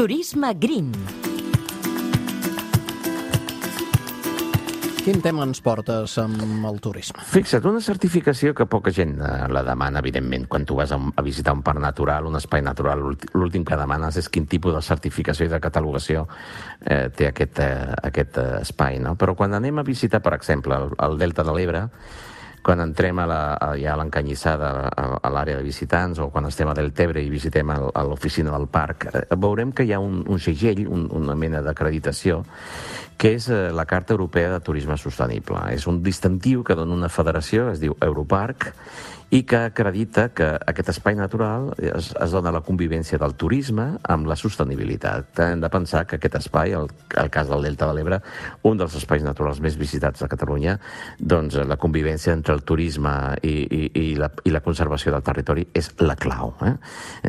Turisme Green. Quin tema ens portes amb el turisme? Fixa't, una certificació que poca gent la demana, evidentment, quan tu vas a visitar un parc natural, un espai natural, l'últim que demanes és quin tipus de certificació i de catalogació té aquest espai, no? Però quan anem a visitar, per exemple, el Delta de l'Ebre, quan entrem ja a l'Encanyissada, a l'àrea de visitants, o quan estem a Deltebre i visitem a l'oficina del parc, veurem que hi ha un segell, una mena d'acreditació, que és la Carta Europea de Turisme Sostenible. És un distintiu que dona una federació, es diu Europarc, i que acredita que aquest espai natural es dona la convivència del turisme amb la sostenibilitat. Hem de pensar que aquest espai, el cas del Delta de l'Ebre, un dels espais naturals més visitats de Catalunya, doncs la convivència entre el turisme i la conservació del territori és la clau.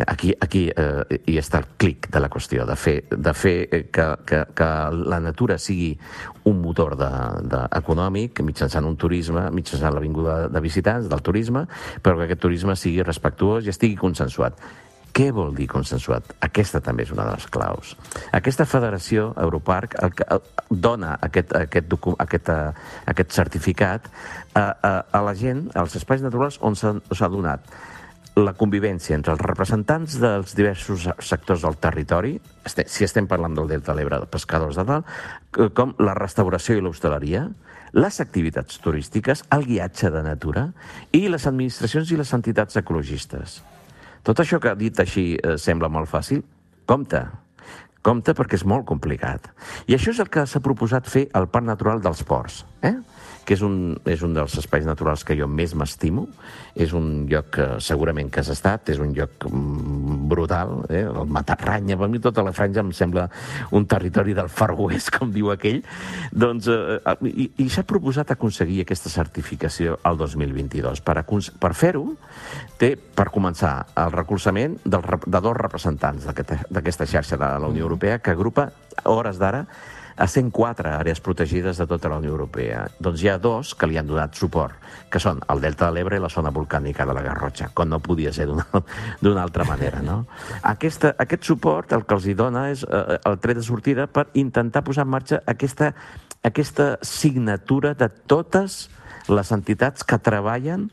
Aquí hi està el clic de la qüestió, de fer que la natura sigui un motor econòmic mitjançant un turisme, mitjançant la vinguda de visitants, del turisme, però que aquest turisme sigui respectuós i estigui consensuat. Què vol dir consensuat? Aquesta també és una de les claus. Aquesta federació, Europarc, dona aquest certificat a la gent, als espais naturals on s'ha donat la convivència entre els representants dels diversos sectors del territori, si estem parlant del Delta de l'Ebre, de pescadors de dalt, com la restauració i l'hostaleria, les activitats turístiques, el guiatge de natura i les administracions i les entitats ecologistes. Tot això que dit així sembla molt fàcil, compte perquè és molt complicat. I això és el que s'ha proposat fer al Parc Natural dels Ports, que és un dels espais naturals que jo més m'estimo. És un lloc que segurament que has estat, és un lloc brutal, el Matarranya, per mi tota la franja em sembla un territori del Far West, com diu aquell. Doncs, i s'ha proposat aconseguir aquesta certificació al 2022. Per fer-ho, té, per començar, el recolzament de dos representants d'aquesta xarxa de la Unió Europea, que agrupa, a hores d'ara, a 104 àrees protegides de tota la Unió Europea. Doncs hi ha dos que li han donat suport, que són el Delta de l'Ebre i la zona volcànica de la Garrotxa, com no podia ser d'una altra manera, no? Aquest suport el que els hi dona és el tret de sortida per intentar posar en marxa aquesta signatura de totes les entitats que treballen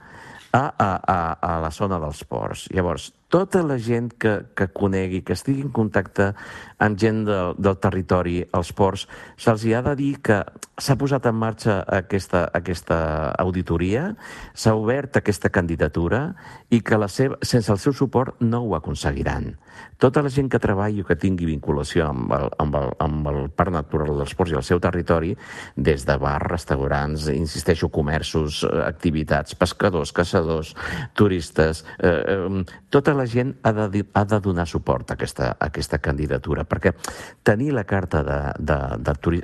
a la zona dels ports. Llavors, tota la gent que conegui, que estigui en contacte amb gent del territori, als ports, se'ls ha de dir que s'ha posat en marxa aquesta auditoria, s'ha obert aquesta candidatura i que sense el seu suport no ho aconseguiran. Tota la gent que treballi o que tingui vinculació amb el Parc Natural dels Ports i el seu territori, des de bars, restaurants, insisteixo, comerços, activitats, pescadors, caçadors, turistes, tota la gent ha de donar suport a aquesta candidatura, perquè tenir la Carta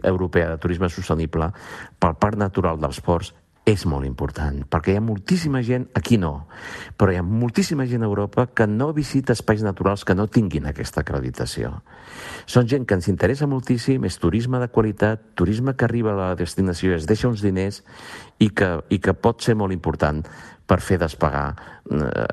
Europea de Turisme Sostenible pel Parc Natural dels Ports és molt important, perquè hi ha moltíssima gent, aquí no, però hi ha moltíssima gent a Europa que no visita espais naturals que no tinguin aquesta acreditació. Són gent que ens interessa moltíssim, és turisme de qualitat, turisme que arriba a la destinació i es deixa uns diners i que pot ser molt important per fer despegar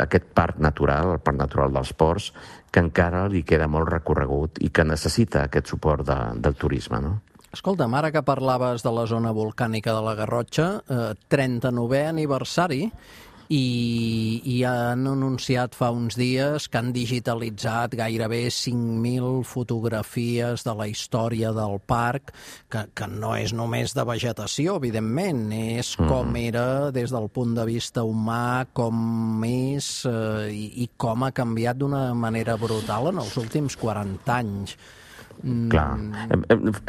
aquest parc natural, el Parc Natural dels Ports, que encara li queda molt recorregut i que necessita aquest suport del turisme, no? Escolta'm, ara que parlaves de la zona volcànica de la Garrotxa, 39è aniversari, i han anunciat fa uns dies que han digitalitzat gairebé 5.000 fotografies de la història del parc, que no és només de vegetació, evidentment, és com era des del punt de vista humà, com és i com ha canviat d'una manera brutal en els últims 40 anys. Clar,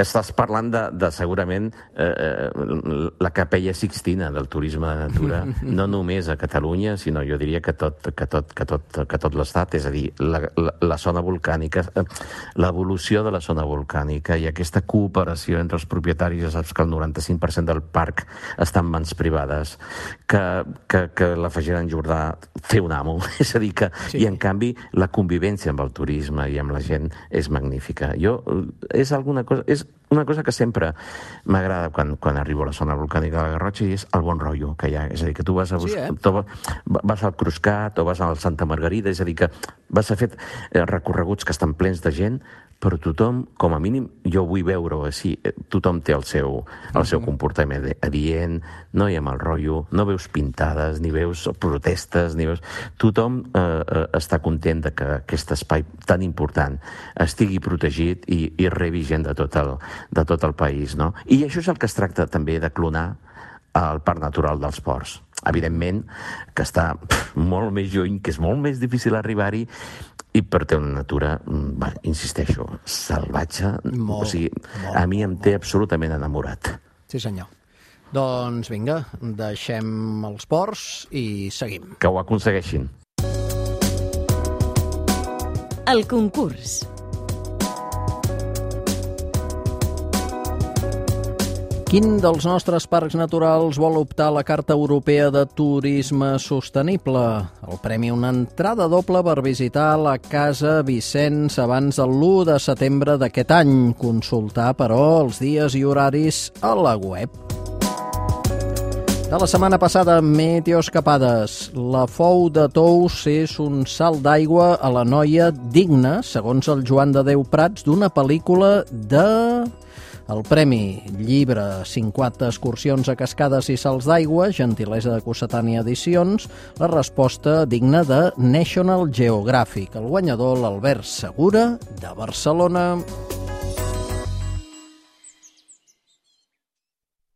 estàs parlant de segurament la capella Sixtina del turisme de natura, no només a Catalunya, sinó jo diria que tot l'estat, és a dir, la zona volcànica, l'evolució de la zona volcànica i aquesta cooperació entre els propietaris. Ja saps que el 95% del parc està en mans privades, que la Fagera en Jordà té un amo, és a dir, i en canvi la convivència amb el turisme i amb la gent és magnífica. És una cosa que sempre m'agrada quan arribo a la zona volcànica de la Garrotxa, i és el bon rotllo que hi ha. És a dir, que tu vas vas al Cruscat o vas al Santa Margarida, és a dir, que vas a fer recorreguts que estan plens de gent, però tothom, com a mínim, jo vull veure-ho així, tothom té el seu comportament adient, no hi ha mal rotllo, no veus pintades, ni veus protestes, ni veus... Tothom està content de que aquest espai tan important estigui protegit i rebi gent de tot el país, no? I això és el que es tracta també de clonar al Parc Natural dels Ports. Evidentment que està molt més lluny, que és molt més difícil arribar-hi, i per té una natura, insisteixo, salvatge. O sigui, a mi em té absolutament enamorat. Sí, senyor. Doncs vinga, deixem els ports i seguim. Que ho aconsegueixin. El concurs. Quin dels nostres parcs naturals vol optar a la Carta Europea de Turisme Sostenible? El premi una entrada doble per visitar la Casa Vicenç abans de l'1 de setembre d'aquest any. Consultar, però, els dies i horaris a la web. De la setmana passada, meteoescapades. La Fou de Tous és un salt d'aigua a la noia digna, segons el Joan de Déu Prats, d'una pel·lícula de... El premi, llibre, 50 excursions a cascades i salts d'aigua, gentilesa de Cossetània Edicions, la resposta digna de National Geographic. El guanyador, l'Albert Segura, de Barcelona.